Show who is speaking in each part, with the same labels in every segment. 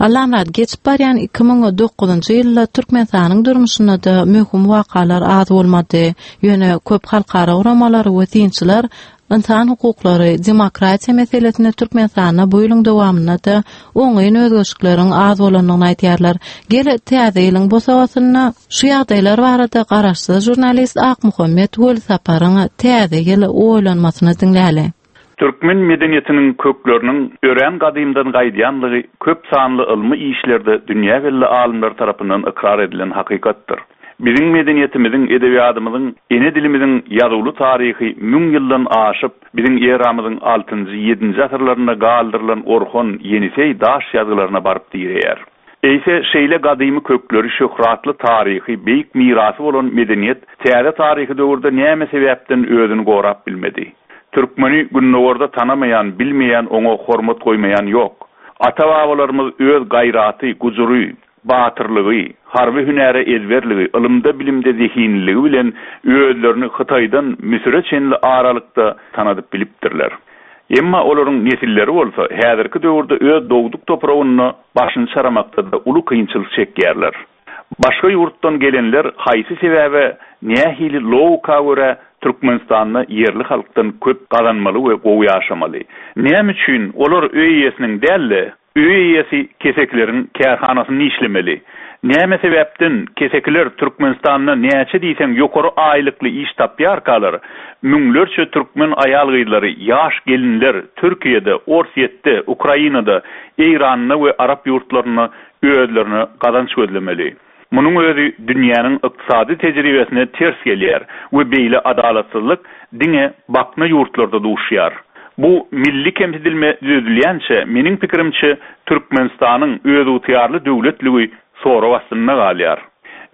Speaker 1: Allamyrat, geçip barýan 2009-njy ýylda Türkmenistanyň durmuşynda-da möhüm wakalar az bolmady. Ýöne köp halkara guramalary we synçylar ynsan hukuklary, demokratiýa meselesinde Türkmenistanda bu ýylyň dowamynda-da oňyn özgerişlikleriň az bolandygyny aýdýarlar. Gel, täze ýylyň bosagasynda şu ýagdaýlar barada garaşsyz žurnalist Akmuhammet Welisaparyň täze ýyl oýlanmasyny diňläli.
Speaker 2: Türkmen medeniýetiniň kökleriniň örän gadymdan gaýdýanlygy köp sanly ylmy işlerde dünýä belli alymlar tarapyndan ykrar edilen hakykatdyr. Biziň medeniýetimiziň, edebiýadymyzyň, ene dilimiziň ýazuwly taryhy müň ýyldan aşyp, biziň eramyzyň altynjy, ýedinji asyrlarynda galdyrylan Orhon, Ýeniseý daş ýazgylaryna baryp direýär. Eýse, şeýle gadymy kökleri, şöhratly taryhy, beýik mirasy bolan medeniýet täze taryhy döwürde näme sebäpden özüni gorap bilmedi? Türkmeni gündogarda tanamaýan, bilmeýän, oňa hormat goýmaýan ýok. Ata-babalarymyz öz gaýraty, gujury, batyrlygy, harby hünäre ezberligi, ylymda-bilimde zehinliligi bilen özlerini Hytaýdan Müsüre çenli aralykda tanadyp bilipdirler. Emma olaryň nesilleri bolsa häzirki döwürde öz dogduk topragynda başyny çaramakda-da uly kynçylyk çekýärler. Başga ýurtdan gelenler haýsy sebäbe, nähili logika görä Türkmenistanda ýerli halkdan köp gazanmaly we gowy ýaşamaly? Näme üçin olar öý eýesiniň däl-de, öý eýesi kesekileriň kärhanasynda işlemeli? Näme sebäpden kesekiler Türkmenistanda näçe diýseň ýokary aýlykly iş tapýarkalar, müňlerçe türkmen aýal-gyzlary, ýaş gelinler Türkiýede, Orsýetde, Ukrainada, Eýranda we arap ýurtlarynda özlerine gazanç gözlemeli. Munuň özi dünýäniň ykdysady tejribesine ters gelýär we beýle adalatsyzlyk diňe bakna ýurtlarda duşýar. Bu milli kemsidilme düzedilýänçä, meniň pikirimçe, Türkmenistanyň özygtyýarly döwletligi sorag astynda galýar.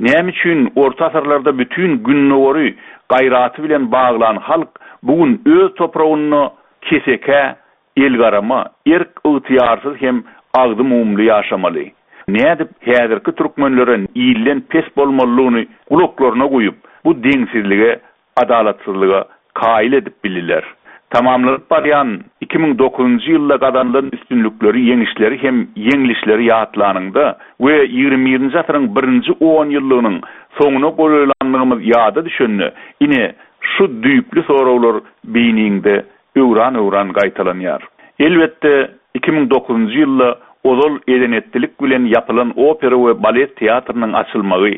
Speaker 2: Näme üçin orta asyrlarda bütin Gündogary gaýraty bilen baglan halk bu gün öz topragynda kesekä Elgarama, erk-ygtyýarsyz hem agzy mumly ýaşamaly. Nädip häzirki türkmenlere ilden pes bolmalydygyny gulaklaryna guýup, bu deňsizlige, adalatsyzlyga kaýyl edip bildiler. Tamamlanyp barýan 2009-njy ýylda gazanylan üstünlikleri, ýeňişleri hem ýeňlişleri ýatlanyňda we ýigrimi birinji asyryň birinji onýyllygynyň soňuna golaýlandygymyz ýada düşende, ine, şu düýpli soraglar beýniňde öwran-öwran gaýtalanýar. Elbetde, 2009-njy ýylda ozal eden-etdilik bilen ýapylan opera we balet teatrynyň açylmagy,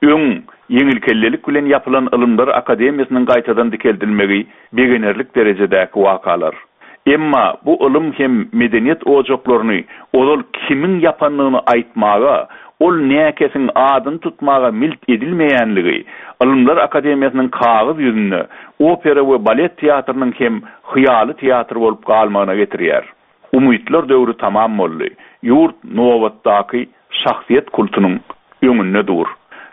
Speaker 2: öň ýeňilkellelik bilen ýapylan Ylymlar akademiýasynyň gaýtadan dikeldilmegi begenerlik derejedäki wakalar. Emma bu ylym hem medeniýet ojaklaryny ozal kimiň ýapandygyny aýtmaga, ol näkesiň adyny tutmaga milt edilmeýänligi Ylymlar akademiýasynyň kagyz ýüzünde opera we balet teatrynyň hem hyýaly teatr bolup galmagyna getirýär. Umytlar döwri tamam boldy. Ýurt nobatdaky şahsyýet kultunyň öňünde dur.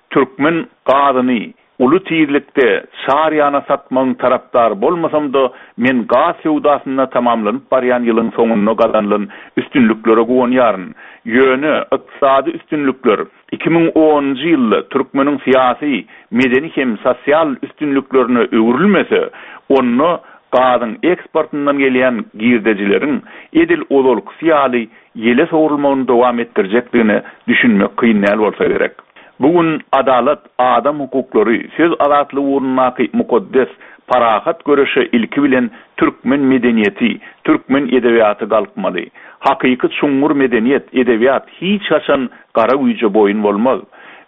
Speaker 2: Türkmen gazyny uly tizlikde çar ýana satmagyň tarapdary bolmasam-da, men gaz söwdasynda tamamlanyp barýan ýylyň soňunda gazanylan üstünliklere guwanýaryn. Ýöne ykdysady üstünlikler 2010-njy ýylda türkmeniň syýasy, medeni hem sosial üstünliklerine öwrülmese, onda gazyň eksportyndan gelýän girdejileriň edil ozalkysy ýaly ýele sowrulmagyny dowam etdirjekdigine düşünmek kyn däl bolsa gerek. Bu gün adalat, adam hukuklary, söz azatlygy ugrundaky mukaddes, parahat göreşe ilki bilen türkmen medeniýeti, türkmen edebiýaty galkmaly. Hakyky çuňňur medeniýet, edebiýat hiç haçan gara güýje boýun bolmaz.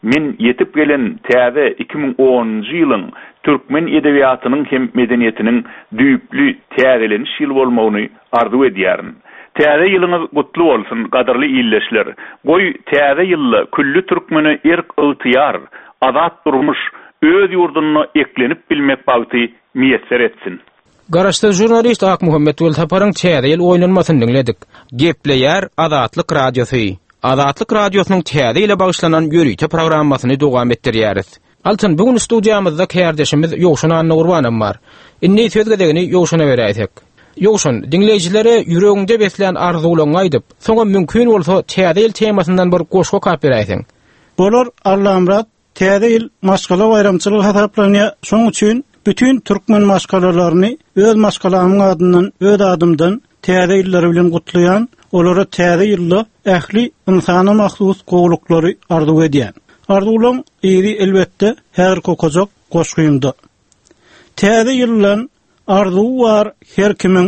Speaker 2: Men ýetip gelen täze 2010-njy ýylyň türkmen edebiýatynyň hem medeniýetiniň düýpli täzeleniş ýyly bolmagyny arzuw edýärin. Täze ýylyňyz gutly bolsun, gadyrly ildeşler! Goý, täze ýylda külli türkmene erk-ygtyýar, azat durmuş, öz ýurdunda eklenip bilmek bagty miýesser etsin!
Speaker 3: Garaşsyz žurnalist Akmuhammet Welsaparyň Täze ýyl oýlanmasyny diňledik. Gepleýär Azatlyk Radiosy. Azatlyk Radiosynyň Täze ýyla bagyşlanan ýörite programmasyny dowam etdirýäris. Altyn, bu gün studiýamyzda kärdeşimiz Ýowşan Annagurbanam bar. Indi söz gezegini Ýowşana beräýsek. Ýowşan, diňleýjilere ýüregiňde beslän arzuwlaryňy aýdyp, soňam mümkin bolsa Täze ýyl temasyndan bir goşgy okap beräýseň.
Speaker 4: Bolar, Allamyrat, Täze ýyl maşgala baýramçylygy hasaplanýar, şoň üçin bütin türkmen maşgalalaryny öz maşgalamyň adyndan, öz adymdan Täze ýyllary bilen gutlaýan. Olara täze ýylda ähli ynsana mahsus gowulyklary arzuw edýän. Arzuwlaň yzy elbetde häzirki okajak goşgymda. Täze ýyldan arzuwy bar her kimiň,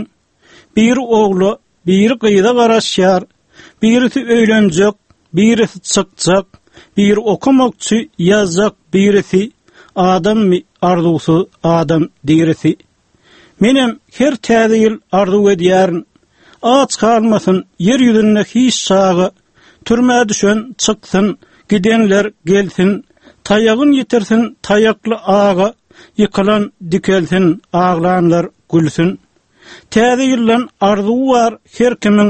Speaker 4: Biri ogla, biri gyza garaşýar, Birisi öýlenjek, birisi çykjak, Biri okamakçy, ýazjak birisi, Adammy arzuwsyz adam dirisi. Menem her täze ýyl arzuw edýärin, Aç galmasyn ýer ýüzünde hiç çaga, Türmä düşen çyksyn, gidenler gelsin, Taýagyn ýitirsin taýakly aga, Ýykylan dikelsin, aglanlar gülsün. Täze ýyldan arzuwy bar her kimiň,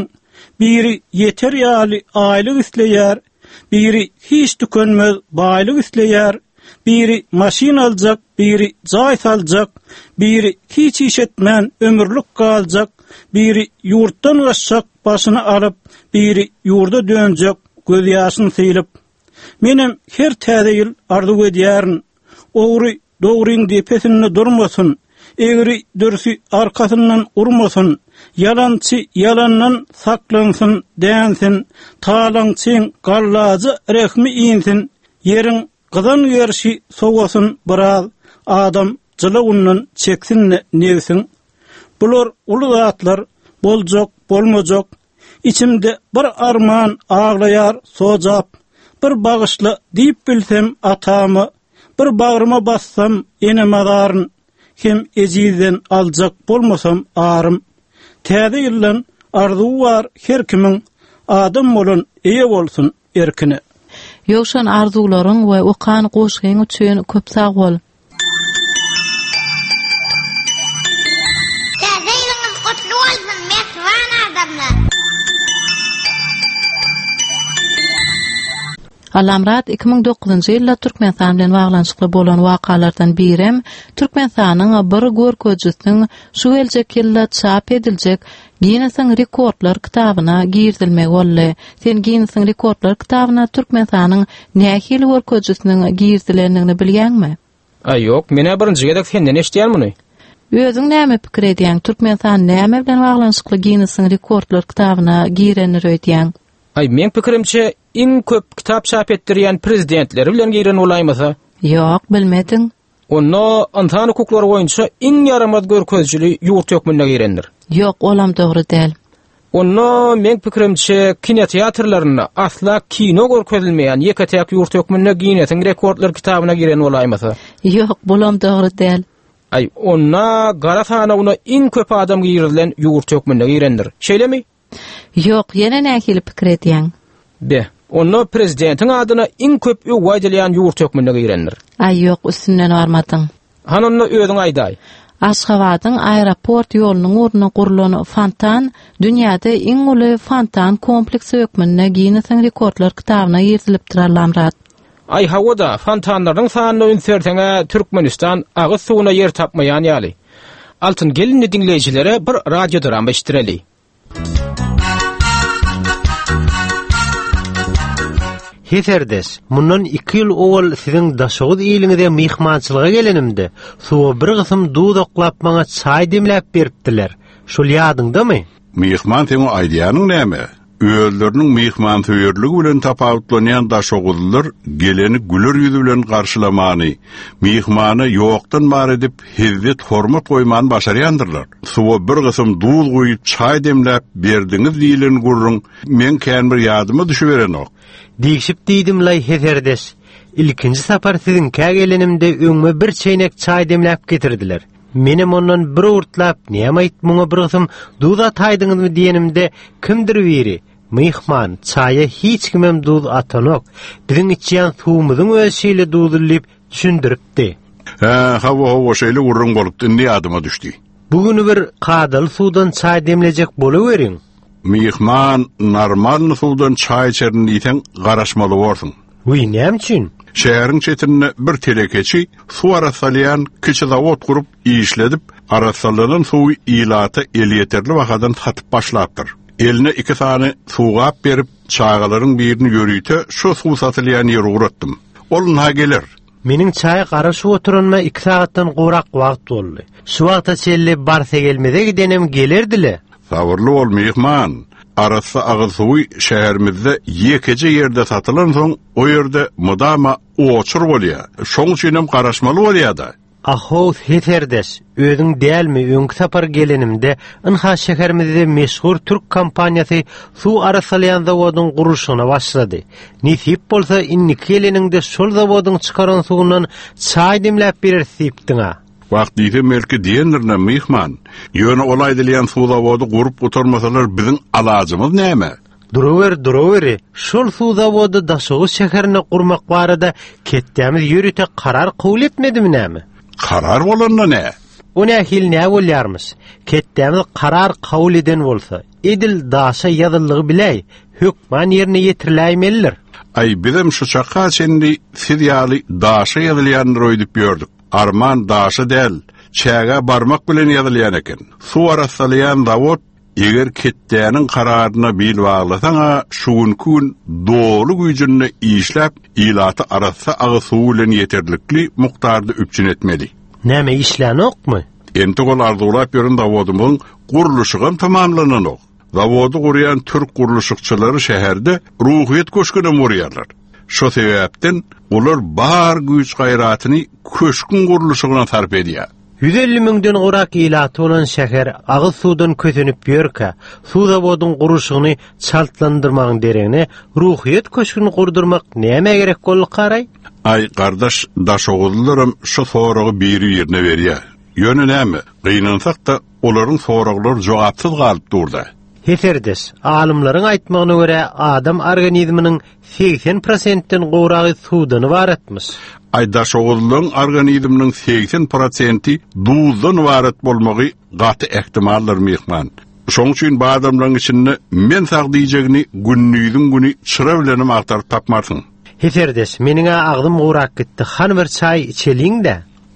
Speaker 4: Biri ýeter ýaly aýlyk isleýär, Biri hiç tükenmez baýlyk isleýär, Biri maşyn aljak, biri jaý saljak, Biri hiç iş etmän ömürlik galjak, Biri ýurtdan gaçjak başyny alyp, Biri ýurda dönjek gözýaşyn sylyp. Menem her täze ýyl arzuw edýärin, Ogry dogryň depesinde durmasyn, Egri dürsi arkasyndan urmasyn, Ýalançy ýalandan saklansyn, dänsin, Talaňçyň gallaja rehmi insin, Ýeriň gyzan gerşi sowasyn biraz, Adam jylawyndan çeksin-de nebsin. Bular uly zatlar, boljak, bolmajak, Içimde bir arman aglaýar sojap, Bir bagyşla diýip bilsem atama, Bir bagryma bassam ene mazaryn, Hem ejizden aljak bolmasam arym. Täze ýyldan arzuwy bar her kimiň, Adam bolan eýe bolsun erkine.
Speaker 1: Ýowşan arzuwlaryň we okan goşgyň üçin köp sag bol.
Speaker 5: Täze ýylyňyz gutly bolsun mähriban adamlar.
Speaker 1: Allamyrat 2009-njy ýylda Türkmenistan bilen baglanyşykly bolan wakalardan birem Türkmenistanyň bir görkezijisiniň şu geljek ýylda çap ediljek Ginnesiň rekordlar kitabyna girizilmegi boldy. Sen Ginnesiň rekordlar kitabyna Türkmenistanyň nähili görkezijisiniň girizilendigini bilýäňmi?
Speaker 3: Aý ýok, men-ä birinji gezek senden eşidýän muny.
Speaker 1: Özüň näme pikir edýäň, Türkmenistan näme bilen baglanyşykly Ginnesiň rekordlar kitabyna girendir öýdýäň?
Speaker 3: Aý, meň pikirimçe, iň köp kitap çap etdirýän prezidentleri bilen giren bolaýmasa.
Speaker 1: Ýok, bilmediň.
Speaker 3: Onda ynsan hukuklary boýunça iň ýaramaz görkezijili ýurt hökmünde girendir.
Speaker 1: Ýok, olam dogry däl.
Speaker 3: Onda meň pikirimçe kinoteatrlarynda asla kino görkezilmeýän ýeke-täk ýurt hökmünde Ginnesiň rekordlar kitabyna giren bolaýmasa.
Speaker 1: Ýok, bulam dogry däl.
Speaker 3: Aý, onda gara sanawyna iň köp adam girizilen ýurt hökmünde girendir. Şeýlemi?
Speaker 1: Ýok, ýene nähili pikir edýäň?
Speaker 3: Be, onda prezidentiň adyna iň köp öwgi aýdylýan ýurt hökmünde girendir.
Speaker 1: Aý, ýok, üstünden barmadyň.
Speaker 3: Hany onda özüň aýdaý.
Speaker 1: Aşgabadyň aeroport ýolunyň ugrunda gurlan fontan dünýäde iň uly fontan kompleksi hökmünde Ginnesiň rekordlar kitabyna girizilipdir Allamyrat.
Speaker 3: Aý hawa-da, fontanlarynyň sanyna üns berseň-ä Türkmenistan agyz suwuna ýer tapmaýan ýaly. Altyn gelinli diňleýjilere bir radiodrama eşitdireli.
Speaker 6: Heserdeş, mundan iki ýyl owal siziň Daşoguz iliňize myhmançylyga gelenimde, suwa bir gysym duz oklap maňa çaý demläp beripdiler. Şol ýadyňdamy?
Speaker 7: Myhman seň o aýdýanyň näme? Özleriniň myhmansöýerligi bilen tapawutlanýan daşoguzlylar geleni güler ýüz bilen garşylamany, myhmana ýokdan bar edip hezzet-hormat goýmany başarýandyrlar. Suwa bir gysym duz guýup çaý demläp berdiňiz diýlen gürrüň meň kän bir ýadyma düşüberenok.
Speaker 6: Degşip diýdim-laý heserdeş. Ilkinji sapar siziňkä gelenimde öňüme bir çeýnek çaý demläp getirdiler. Menem ondan bir owurtlap, Näme-aýt, muňa bir gysym duz ataýdyňyzmy diýenimde, kimdir biri, Myhman, çaýa hiç kimem duz atanok, biziň içýän suwumyzyň özi şeýle duzly diýip düşündiripdi.
Speaker 7: Hä, hawa-hawa, şeýle gürrüň bolupdy, indi ýadyma düşdi.
Speaker 6: Bu güni bir kadaly suwdan çaý demlejek bolaweriň.
Speaker 7: Myhman, normalny suwdan çaý içerin diýseň, garaşmaly borsuň.
Speaker 6: Wiý, näme üçin?
Speaker 7: Şäheriň çetinde bir telekeçi suw arassalaýan kiçi zawod gurup, işledip, arassalanan suwy ilata elýeterli bahadan satyp başlapdyr. Eline iki sany suwgap berip, çagalaryň birini ýörite şo suw satylýan ýere ugratdym. Ol ynha geler.
Speaker 6: Meniň çaýa garaşyp oturanyma iki sagatdan gowrak wagt boldy. Şu wagta çenli Barsagelmeze gidenem gelerdi-le.
Speaker 7: Sabyrly bol, myhman. Arassa agyz suwy şäherimizde ýekeje ýerde satylansoň, o ýerde mydama oçur bolýar. Şoň üçinem garaşmaly bolýar-da.
Speaker 6: Ahow, Heserdeş, özüň dälmi, öňki sapar gelenimde, ynha şäherimizde meşhur türk kompaniýasy suw arassalaýan zawodyň gurluşygyna başlady. Nesip bolsa, indiki geleniňde şol zawodyň çykaran suwundan çaý demläp bereris diýipdiň-a.
Speaker 7: Wah, diýsem belki diýendirin-ä, myhman. Ýöne ol aýdylýan suw zawody gurup gutarmasalar biziň alajymyz näme?
Speaker 6: Duruber, duruberi, şol suw zawody Daşoguz şäherinde gurmak barada ketdämiz ýörite karar kabul etmedimi näme?
Speaker 7: Karar bolanda nä?
Speaker 6: O nähili nä bolýarmyş? Ketdämiz karar kabul eden bolsa, edil daşa ýazyldygy biläý, hökman ýerine ýetiriläýmelidir.
Speaker 7: Aý, bizem şu çaka çenli siz ýaly daşa ýazylýandyr öýdüp ýördük. Arman daşa däl, çägä barmak bilen ýazylýan eken. Suw arassalaýan zawod Eger ketdäniň kararyna bil baglasaň-a, şu günki gün doly güýjünde işläp, ilaty arassa agyz suwy bilen ýeterlikli mukdarda üpjün etmeli.
Speaker 6: Näme, işlänokmy?
Speaker 7: Entek ol arzuwlap ýören zawodymyzyň gurluşygam tamamlananok. Zawody gurýan türk gurluşykçylary şäherde Ruhyýet köşgünem gurýarlar. Şo sebäpden olar bar güýç-gaýratyny köşgüň gurluşygyna sarp edýär.
Speaker 6: 150 müňden gowrak ilaty bolan şäher agyz suwdan kösenip ýörkä, suw zawodyň gurluşygyny çaltlandyrmagyň deregine Ruhyýet köşgüni gurdurmak nämä gerek boldy-karaý?
Speaker 7: Aý, gardaş, daşoguzlylaram şu soragy biri-birine berýär. Ýöne näme, gynansak-da, olaryň soraglary jogapsyz galyp dur-da.
Speaker 6: Heserdeş, alymlaryň aýtmagyna görä, adam organizminiň 80 prosentden gowragy suwdan ybaratmyş.
Speaker 7: Aý, daşoguzlylaryň organizminiň 80 prosenti duzdan ybarat bolmagy gaty ähtimaldyr, myhman. Şoň üçin bu adamlaryň içinde men sag diýjegini gündiziň güni çyra bilenem agtaryp tapmarsyň.
Speaker 6: Heserdeş, meniň-ä agzym gurap gitdi, hany bir çaý içeliň-dä.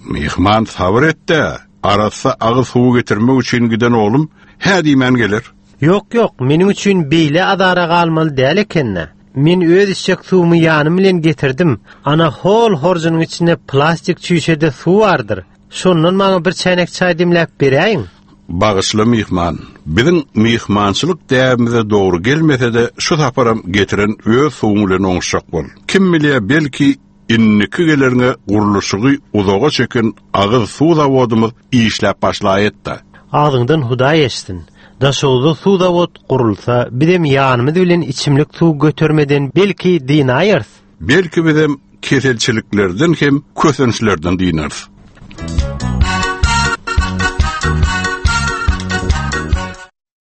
Speaker 7: Myhman, sabyr et-dä, arassa agyz suwy getirmek üçin giden oglum hä diýmän geler.
Speaker 6: Ýok, ýok, meniň üçin beýle azara galmaly däl eken-dä. Men öz içjek suwumy ýanym bilen getirdim. Ana, hol horjunyň içinde plastik çüýşede suw bardyr. Şondan maňa bir çäýnek çaý demläp beräýiň.
Speaker 7: Bagyşla myhman, biziň myhmançylyk däbimize dogry gelmese-de, şu saparam getiren öz suwuň bilen oňuşjak bol. Kim bilýär, belki, Indiki geleriňe gurluşygy uzaga çeken agyz suw zawodymyz işläp başlaýetda.
Speaker 6: Agzyňdan Hudaý eşitsin. Daşoguzda suw zawod gurulsa, bizem ýanymyz bilen içimlik suw götermeden belki dynaýarys.
Speaker 7: Belki bizem keselçiliklerden hem kösençlerden dynarys.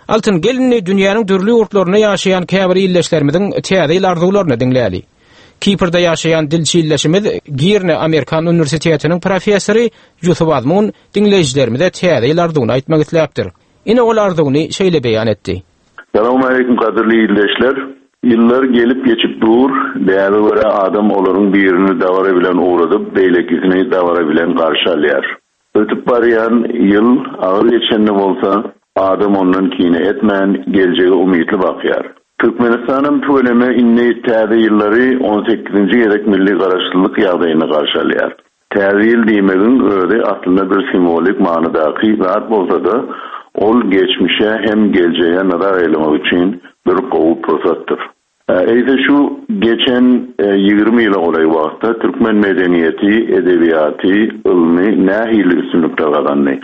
Speaker 3: Altyn, gel indi dünýäniň dürli ýurtlarynda ýaşaýan käbir ildeşlerimiziň Täze ýyl arzuwlaryny diňläli. Kiprde ýaşaýan dilçi ildeşimiz, Girne amerikan uniwersitetiniň professory Ýusup Azmun diňleýjilerimize Täze ýyl arzuwyny aýtmak isläpdir. Ine ol arzuwyny şeýle beýan etdi.
Speaker 8: Salowmaleýkim gadyrly ildeşler! Ýyllar gelip-geçip dur, däbe görä adam olaryň birini dabara bilen ugradyp, beýlekisini dabara bilen garşy alýar. Ötüp barýan ýyl agyr geçende bolsa, adam ondan kine etmän, geljege umytly bakýar. Türkmenistanam tüweleme indi täze ýyllary on sekizinji gezek milli garaşsyzlyk ýagdaýynda garşy alýar. Täze ýyl diýmegiň özi aslynda bir simwolik manydaky zat bolsa-da, ol geçmişe hem geljege nazar aýlamak üçin bir gowy pursatdyr. Eýse şu geçen 20 ýyla golaý wagtda türkmen medeniýeti, edebiýaty, ylmy nähili üstünlikler gazandy?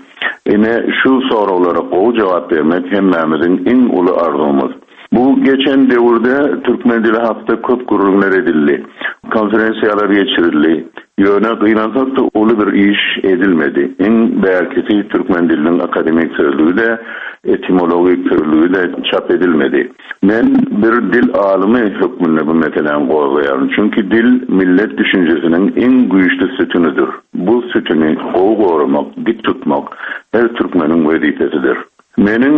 Speaker 8: Ine, şu soraglara gowy jogap bermek hemmämiziň iň uly arzuwymyz. Bu geçen döwürde türkmen dili hakda köp gürrüňler edildi, konferensiýalar geçirildi. Ýöne gynansak-da uly bir iş edilmedi. Iň bärkisi türkmen diliniň akademik sözlügi-de, etimologik sözlügi-de çap edilmedi. Men bir dil alymy hökmünde bu meseläni gozgaýaryn. Çünki dil millet düşünjesiniň iň güýçli sütünidir. Bu sütüni gowy goramak, dik tutmak her türkmeniň wezipesidir. Meniň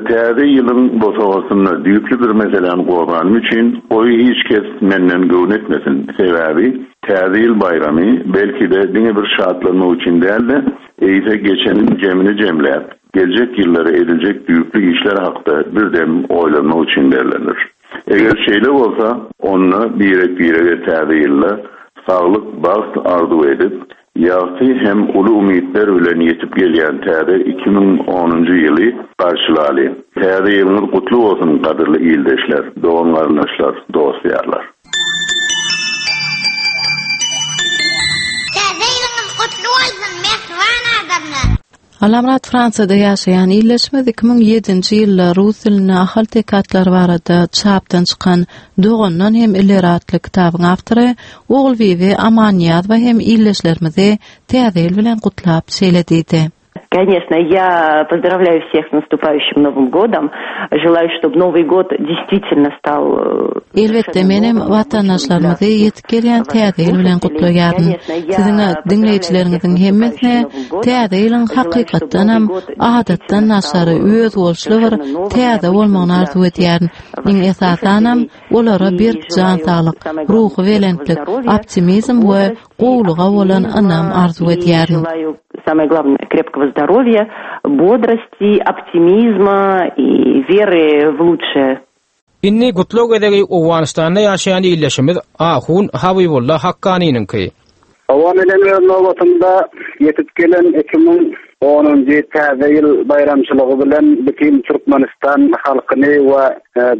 Speaker 8: Täze ýylyň bosagasynda düýpli bir meseläni gozganym üçin goý hiç kes menden göwün etmesin. Sebäbi Täze ýyl baýramy belki-de diňe bir şatlanmak üçin däl-de, eýse geçeniň jemini jemläp, Geljek ýyllara ediljek düýpli işler hakda bir dem oýlanmak üçin berlendir. Eger şeýle bolsa, onda birek-birege täze ýylda saglyk, bagt arzuw edip, Ýagty hem uly umytlar bilen ýetip gelýän täze 2010-njy ýyly garşylalyň. Täze ýylyňyz gutly bolsun, gadyrly ildeşler, dogan-garyndaşlar, dost-ýarlar!
Speaker 5: Täze ýylyňyz gutly bolsun, mähriban adamlar!
Speaker 1: Alamyrat Fransiýada ýaşaýan ildeşimiz 2007-nji ýylda rus dilinde ahal-teke atlary barada çapdan çykan Dogandan hem ileri atly kitabyň awtory Ogulbibi Amannyýazowa hem ildeşlerimizi Täze ýyl bilen gutlap şeýle diýdi.
Speaker 9: Конечно, я поздравляю всех с наступающим Новым годом. Желаю, чтобы Новый год действительно стал э,
Speaker 1: Elbetde, menem watandaşlarymyzy ýetip gelýän Täze ýyl bilen gutlaýaryn. Siziň diňleýjileriňiziň hemmesine Täze ýylyň hakykatdanam adatdan daşary özboluşly bir täze bolmagyny arzuw edýärin. Iň esasanam, olara berk jan saglyk, ruhubelentlik, optimizm we gowulyga bolan ynam arzuw edýärin.
Speaker 9: Самое главное, крепкого здоровья, бодрости, оптимизма и веры в лучшее.
Speaker 3: Indi gutlag gezegi Owganystanda ýaşaýan ildeşimiz Ahun Habybulla Hakkanynyňky.
Speaker 10: Hawa, menem öz nobatymda ýetip gelen 2010-njy Täze ýyl baýramçylygy bilen bütin Türkmenistan halkyny we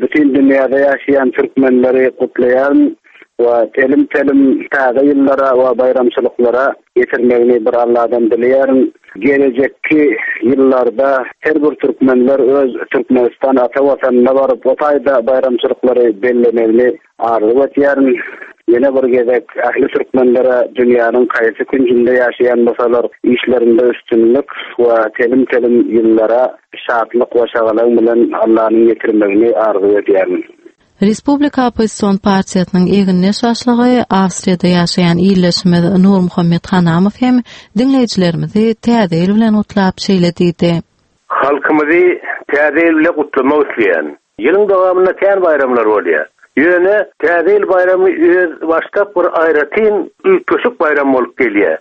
Speaker 10: bütin dünýäde ýaşaýan türkmenleri gutlaýaryn we telim-telim täze ýyllara we baýramçylyklara ýetirmegini bir Alladan dileýärin. Gelejekki ýyllarda her bir türkmenler öz Türkmenistan ata Watanyna baryp o taýda baýramçylyklary bellemegini arzuw etýärin. Ýene bir gezek ähli türkmenlere dünýäniň haýsy künjünde ýaşaýan bolsalar işlerinde üstünlik we telim-telim ýyllara şatlyk we şagalaň bilen Allanyň ýetirmegini arzuw edýärin.
Speaker 1: Respublika oppozision partiýasynyň egindeş başlygy, Awstriýada ýaşaýan ildeşimiz Nurmuhammet Hanamow hem diňleýjilerimizi Täze ýyl bilen gutlap şeýle diýdi.
Speaker 11: Halkymyzy Täze ýyl bile gutlamak isleýän. Ýylyň dowamynda kän baýramlar bolýar. Ýöne Täze ýyl baýramy öz başdak bir aýratyn üýtgeşik baýram bolup gelýär.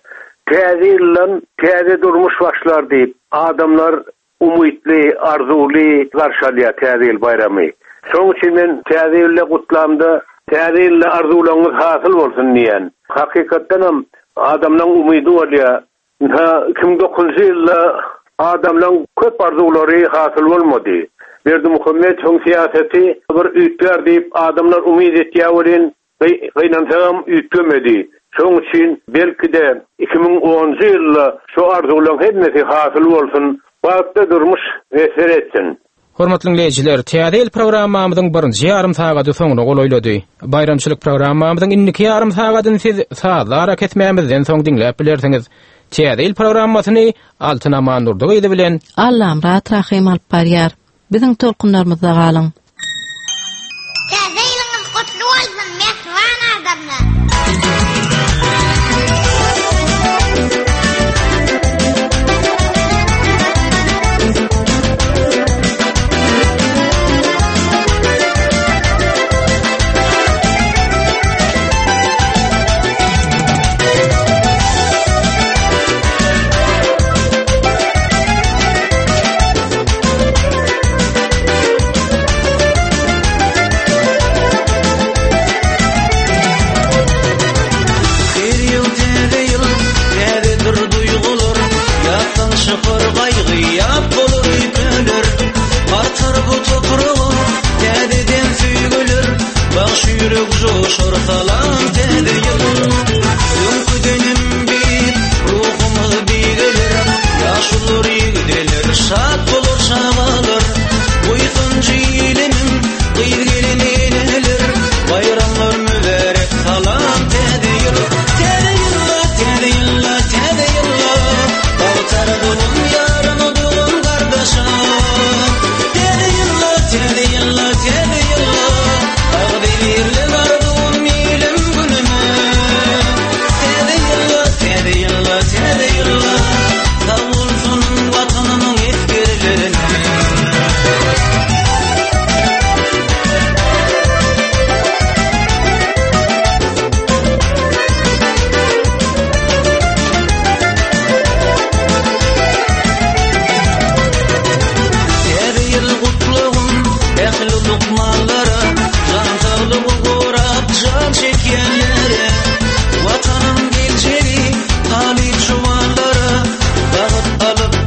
Speaker 11: Täze ýyldan täze durmuş başlar diýip, adamlar Umytly, arzuwly garşy alýar Täze ýyl baýramy. Şonuň üçin men Täze ýylda gutlamda Täze ýylda arzuwlaryňyz hasyl bolsun diýýän. Hakykatdanam adamlaň umydy bolýar. Ynha, 2009-njy ýylda adamlaň köp arzuwlary hasyl bolmady. Berdimuhamedowyň syýasaty bir üýtgär diýip adamlar umyt etýär welin, Gynansagam üýtgemedi. Şoň üçin belki-de 2010-njy ýylda şu arzuwlaň hemmesi hasyl bolsun, bagtly durmuş miýesser etsin.
Speaker 3: Hormatly diňleýjiler, Täze ýyl programmamyzyň birinji ýarym sagady soňuna golaýlady. Baýramçylyk programmamyzyň indiki ýarym sagadyny siz sazly arakesmämizden soň diňläp bilersiňiz. Täze ýyl programmasyny Altyn Amandurdy gyzy bilen
Speaker 1: Allamyrat Rahym alyp barýar. Biziň tolkunlarymyzda galyň!
Speaker 5: Täze ýylyňyz gutly bolsun mähriban adamlar!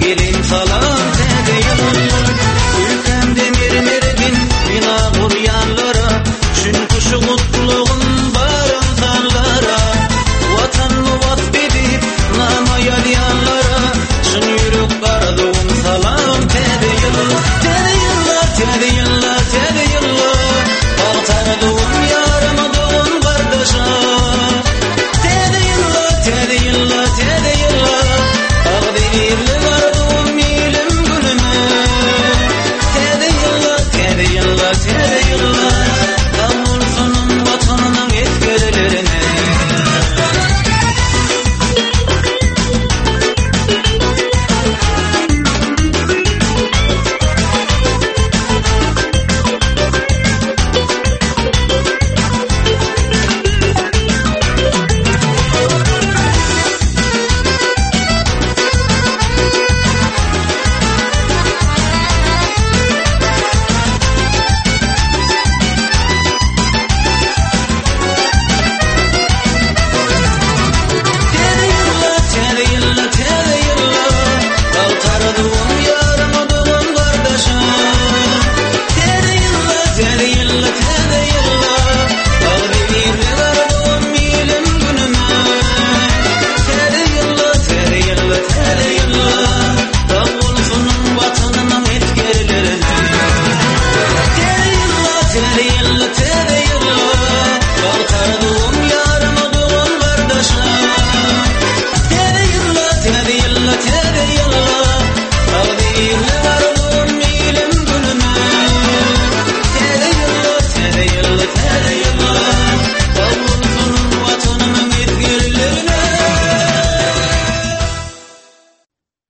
Speaker 12: Geliň salam täze ýyl. Ülkämde mermerden bina gurýanlara, Çünki şu gutlagym bar ynsanlara. Watanymy wasp edip, nama ýazýanlara, Çyn ýürek arzuwym salam täze ýyl. Täze ýyllar, täze ýyllar, täze ýyllar, Bagt arzuwym ýaryma dogan gardaşa. Täze ýyllar, täze ýyllar, täze ýyllar, Agzybirlik.